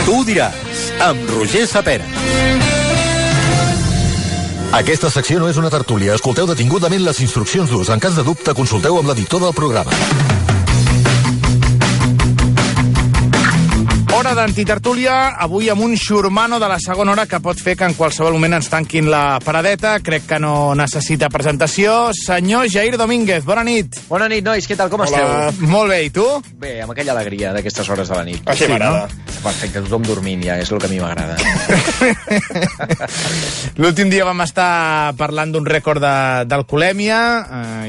Tu ho diràs, amb Roger Sapera. Aquesta secció no és una tertúlia. Escolteu detingudament les instruccions d'ús. En cas de dubte, consulteu amb l'editor del programa. Hora d'antitertúlia, avui amb un xurmano de la segona hora que pot fer que en qualsevol moment ens tanquin la paradeta. Crec que no necessita presentació. Senyor Jair Domínguez, bona nit. Bona nit, nois, què tal, com esteu? Molt bé, i tu? Bé, amb aquella alegria d'aquestes hores de la nit. Així m'agrada. Perfecte, tothom dormint ja, és el que a mi m'agrada. L'últim dia vam estar parlant d'un rècord d'alcoholèmia,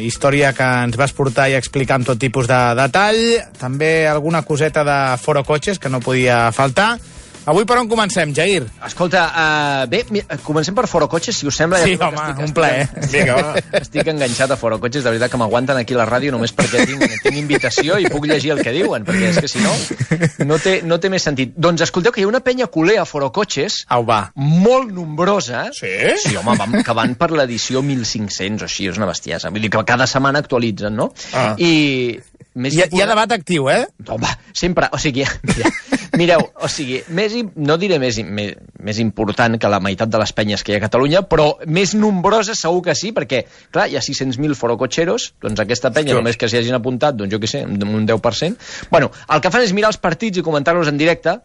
història que ens vas portar i explicar amb tot tipus de detall, també alguna coseta de foro cotxes que no podia faltar. Avui per on comencem, Jair? Escolta, bé, comencem per Foro Cotxes, si us sembla. Sí, home, un plaer. Estic enganxat a Foro Cotxes, de veritat que m'aguanten aquí a la ràdio només perquè tinc invitació i puc llegir el que diuen, perquè és que si no té més sentit. Doncs escolteu que hi ha una penya culer a Foro Cotxes, molt nombrosa. Sí? Sí, home, que van per l'edició 1500 o així, és una bestiesa. Vull dir que cada setmana actualitzen, no? I... Hi ha debat actiu, eh? Home, sempre, o sigui, mireu, o sigui, no diré més important que la meitat de les penyes que hi ha a Catalunya, però més nombroses segur que sí, perquè, clar, hi ha 600.000 forocotxeros, doncs aquesta penya, només que s'hi hagin apuntat, doncs jo què sé, un 10%. Bueno, el que fan és mirar els partits i comentar-los en directe.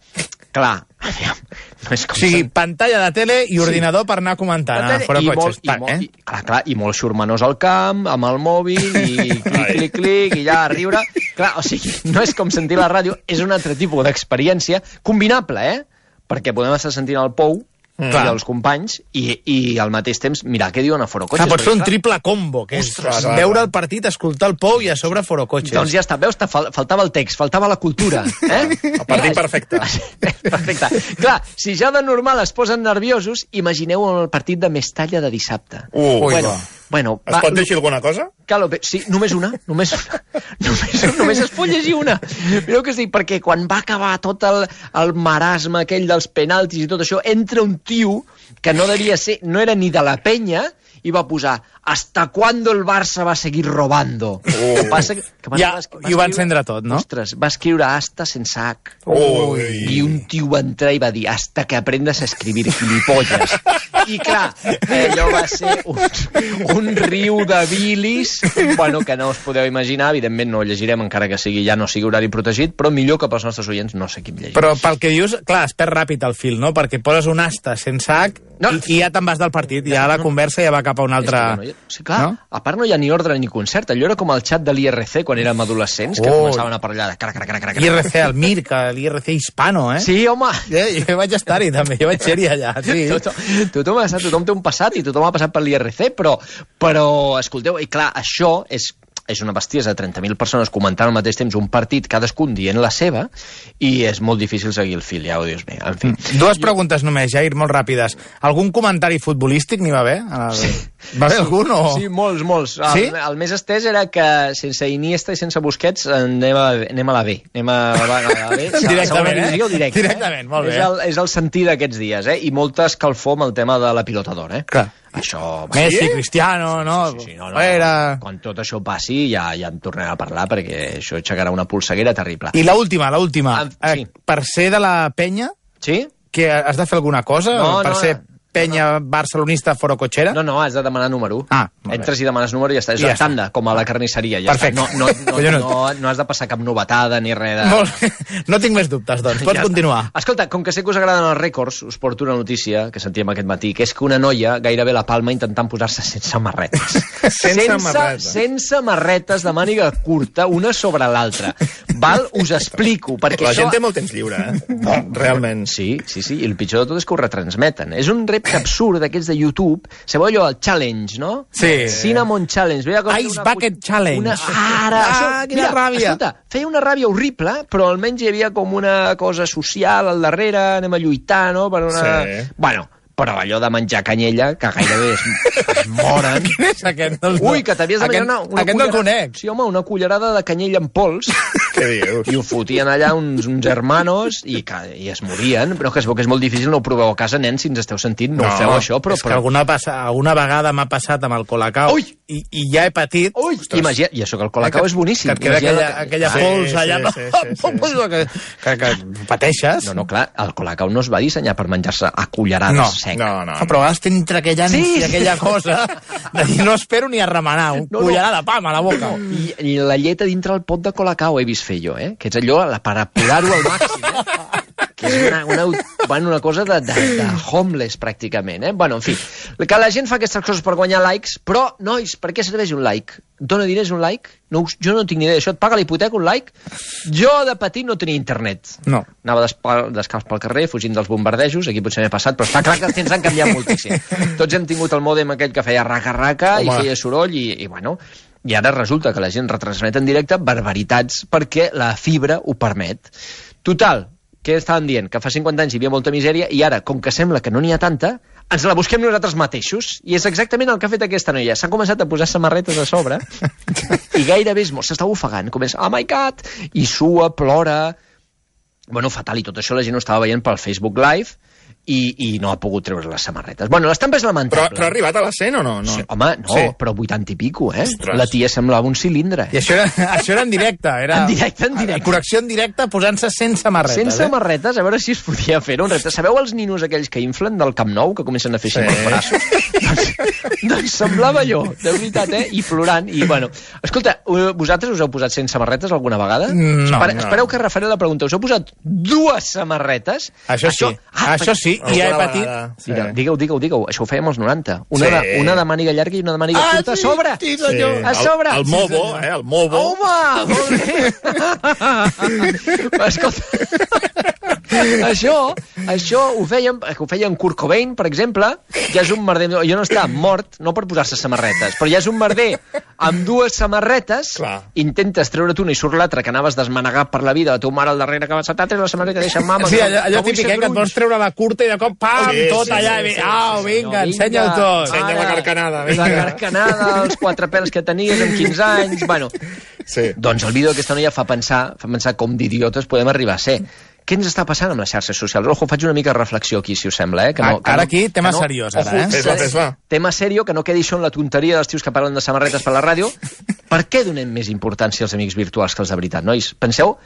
Clar, no és com... O sigui, pantalla de tele i ordinador per anar comentant a Foro Cotxes. Clar, i molt xurmanós al camp, amb el mòbil, i clic, i ja a riure. Clar, o sigui, no és com sentir la ràdio, és un altre tipus d'experiència, combinable, perquè podem estar sentint el Pou, i els companys, i al mateix temps mirar què diuen a Foro Cotxes. Pots fer un triple combo, que és veure el partit, escoltar el Pou i a sobre Foro Cotxes. Doncs ja està, veus, faltava el text, faltava la cultura. El partit perfecte. Perfecte. Clar, si ja de normal es posen nerviosos, imagineu el partit de Mestalla de dissabte. Bueno, es pot llegir alguna cosa? Sí, només una. Només es pot llegir una. Mireu què es dic, perquè quan va acabar tot el marasme aquell dels penaltis i tot això, entra un tio que no devia ser, no era ni de la penya, i va posar «Hasta cuándo el Barça va seguir robando?» I ho va encendre tot, no? Ostres, va escriure «hasta sense H». I un tio va entrar i va dir «hasta que aprendes a escribir, gilipolles». I clar, allò va ser un riu de bilis, bueno, que no us podeu imaginar, evidentment no ho llegirem encara que ja no sigui horari protegit, però millor que pels nostres oients no sé qui llegir. Però pel que dius, clar, es perd ràpid el fil, no? Perquè poses un asta sense H i ja te'n vas del partit, ja la conversa ja va cap a un altre... Sí, clar, a part no hi ha ni ordre ni concert, allò era com el xat de l'IRC quan érem adolescents, que començaven a parlar de... IRC, el MIR, que l'IRC hispano, eh? Sí, home! Jo vaig estar-hi també, jo vaig ser-hi allà, sí. Tothom té un passat i tothom ha passat per l'IRC, però escolteu, i clar, això és una bestiesa, 30.000 persones comentant al mateix temps un partit, cadascun dient la seva, i és molt difícil seguir el fil, ja ho dius bé. En fi. Dues preguntes només, Jair, molt ràpides. Algun comentari futbolístic n'hi va haver? Va haver algun o...? Sí, molts. Sí? El més estès era que sense Iniesta i sense Busquets anem a la B. Anem a la B. Directament, Directament, molt bé. És el sentir d'aquests dies, I molta escalfor amb el tema de la pilota d'or, Clar. Això... Messi, Cristiano, no? Sí, no. Quan tot això passi ja en tornarem a parlar, perquè això aixecarà una polseguera terrible. I l'última. Sí. Per ser de la penya, sí? Que has de fer alguna cosa? Per ser penya barcelonista forocotxera? No, has de demanar número. Entres i demanes número i ja està. És la tanda, com a la carnisseria. Perfecte. No has de passar cap novetada ni res de... No tinc més dubtes, doncs. Pots continuar. Escolta, com que sé que us agraden els rècords, us porto una notícia que sentíem aquest matí, que és que una noia gairebé la palma intentant posar-se sense marretes. Sense marretes de màniga curta, una sobre l'altra. Val? Us explico. Perquè la gent té molt temps lliure, realment. Sí. I el pitjor de tot és que ho retransmeten. És un repte absurd d'aquests de YouTube. Sabeu allò, el challenge, no? Sí. Cinnamon Challenge. Ice Bucket Challenge. Quina ràbia. Escolta, feia una ràbia horrible, però almenys hi havia com una cosa social al darrere, anem a lluitar, no? Per una... Sí. Bueno, però allò de menjar canyella, que gairebé es moren... Quin és aquest? Ui, que t'havies de menjar una aquest no el conec. Sí, home, una cullerada de canyella en pols, Què dius? I ho fotien allà uns hermanos i es morien, però que es veu que és molt difícil, no ho proveu a casa, nens, si ens esteu sentint, no ho feu això, però... És que alguna vegada m'ha passat amb el Colacao i ja he patit... Imagina, i això que el Colacao és boníssim. Que et queda aquella pols allà, que pateixes. No, clar, el Colacao no es va dissenyar per menjar-se a cullerades sec. No. Però a vegades entre aquell ànsia, aquella cosa, de dir, no espero ni a remenar, un cullerada de pam a la boca. I la llet a dintre el pot de Colacao he vist fer jo, que és allò per apurar-ho al màxim, que és una cosa de homeless, pràcticament, Bueno, en fi, que la gent fa aquestes coses per guanyar likes, però, nois, per què serveix un like? Dóna diners un like? Jo no tinc ni idea d'això. Et paga la hipoteca un like? Jo, de petit, no tenia internet. No. Anava descalç pel carrer, fugint dels bombardejos, aquí potser m'he passat, però està clar que els temps han canviat moltíssim. Tots hem tingut el mòdem aquell que feia raca-raca i feia soroll i bueno... I ara resulta que la gent retransmet en directe barbaritats perquè la fibra ho permet. Total, què estàvem dient? Que fa 50 anys hi havia molta misèria i ara, com que sembla que no n'hi ha tanta, ens la busquem nosaltres mateixos. I és exactament el que ha fet aquesta noia. S'ha començat a posar samarretes a sobre i gairebé s'està ofegant. Comença, oh my God! I sua, plora... Bueno, fatal, i tot això la gent ho estava veient pel Facebook Live i no ha pogut treure les samarretes. Bueno, l'estampa és lamentable. Però ha arribat a la 100 o no? Sí, home, no, sí. Però 80 i pico, Ostres. La tia semblava un cilindre. I això era en directe. En directe. Connexió en directe posant-se 100 samarretes. 100 samarretes, a veure si es podia fer un repte. Sabeu els ninos aquells que inflen del Camp Nou, que comencen a fer així els braços? doncs semblava allò, de veritat, I plorant. I, bueno, escolta, vosaltres us heu posat 100 samarretes alguna vegada? No. Espereu que refaré la pregunta. Us heu posat 2 samarretes? Això sí. I ja he patit. Sí. Digueu. Això ho fèiem als 90. Una de màniga llarga i una de màniga curta a sobre. Sí. A sobre. El mobo, el mobo. Home, molt bé. Escolta, això ho feien Kurt Cobain, per exemple. Ja és un merder. Jo no estava mort, no per posar-se samarretes, però ja és un merder amb 2 samarretes. Clar. Intentes treure't una i surt l'altra, que anaves desmanegat per la vida, la teva mare al darrere que va saltar, la samarreta, deixa mama. Sí, allò típic, que et vols treure la curta i de cop, pam, tot allà. Vinga, ensenya-ho tot. Ensenya la carcanada. La carcanada, els 4 pèls que tenies amb 15 anys. Bueno, doncs el vídeo d'aquesta noia fa pensar com d'idiotes podem arribar a ser. Què ens està passant amb les xarxes socials? Ojo, faig una mica de reflexió aquí, si us sembla, Ara aquí, tema seriós, ara, Tema seriós, que no quedi això en la tonteria dels tios que parlen de samarretes per la ràdio. Per què donem més importància als amics virtuals que els de veritat, nois? Penseu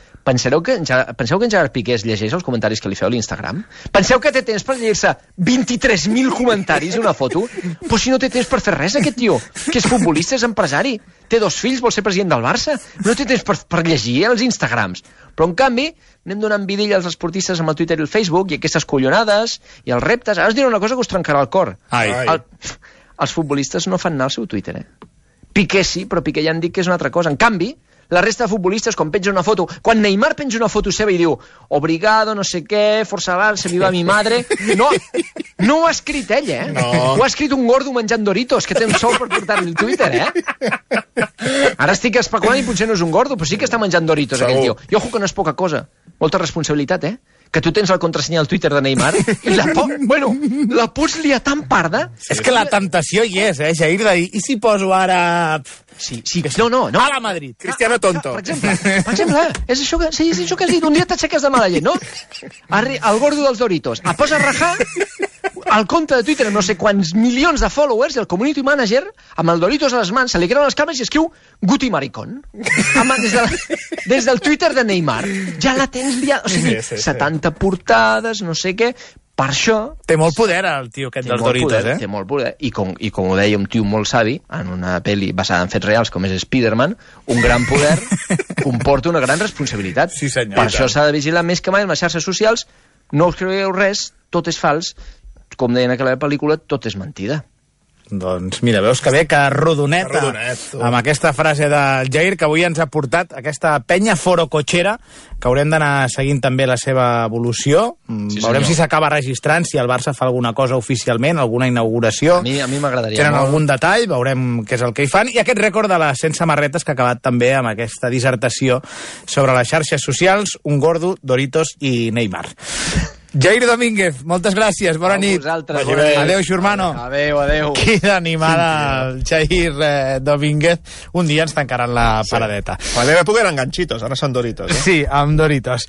que en Gerard Piqué es llegeix els comentaris que li feu a l'Instagram? Penseu que té temps per llegir-se 23.000 comentaris i una foto? Però si no té temps per fer res, aquest tio, que és futbolista, és empresari, té 2 fills, vol ser president del Barça, no té temps per llegir els Instagrams. Però, en canvi, anem donant vidilla als esportistes amb el Twitter i el Facebook i aquestes collonades i els reptes. Ara us diré una cosa que us trencarà el cor. Els futbolistes no fan anar al seu Twitter, Piqué sí, però Piqué ja han dit que és una altra cosa. En canvi, la resta de futbolistes, quan penja una foto... Quan Neymar penja una foto seva i diu obrigado, no sé què, força Barça, viva mi madre... No ho ha escrit ell, No. Ho ha escrit un gordo menjant Doritos, que té un sou per portar-li al Twitter, Ara estic especulant i potser no és un gordo, però sí que està menjant Doritos, aquell tio. I ojo que no és poca cosa. Molta responsabilitat, que tu tens el contrasenya al Twitter de Neymar i la pots liar tan parda... És que la temptació hi és, Jair, de dir, i si poso ara... Sí. No. A la Madrid. Cristiano tonto. Per exemple, és això que has dit. Un dia t'aixeques de mala llet, no? El gordo dels Doritos. Et posa a rajar al compte de Twitter no sé quants milions de followers i el community manager, amb el Doritos a les mans, se li creuen les cames i escriu Guti Maricón. Des del Twitter de Neymar. Ja la tens liada. O sigui, 70 portades, no sé què... Per això... Té molt poder, el tio aquest dels Doritos, Té molt poder, i com ho deia un tio molt savi, en una pel·li basada en fets reals, com és Spider-Man, un gran poder comporta una gran responsabilitat. Sí, senyor. Per això s'ha de vigilar més que mai en les xarxes socials. No us creieu res, tot és fals. Com deien a aquella pel·lícula, tot és mentida. Doncs mira, veus que bé, que rodoneta amb aquesta frase del Jair, que avui ens ha portat aquesta penya forocotxera, que haurem d'anar seguint també la seva evolució. Veurem si s'acaba registrant, si el Barça fa alguna cosa oficialment, alguna inauguració. A mi m'agradaria. Tenen algun detall, veurem què és el que hi fan. I aquest rècord de les 100 samarretes que ha acabat també amb aquesta dissertació sobre les xarxes socials, un gordo, Doritos i Neymar. Jair Domínguez, moltes gràcies, bona nit. Adéu, Xurmano. Adéu. Quina animada el Jair Domínguez. Un dia ens tancaran la paradeta. Podem poder enganxitos, ara són Doritos. Sí, amb Doritos.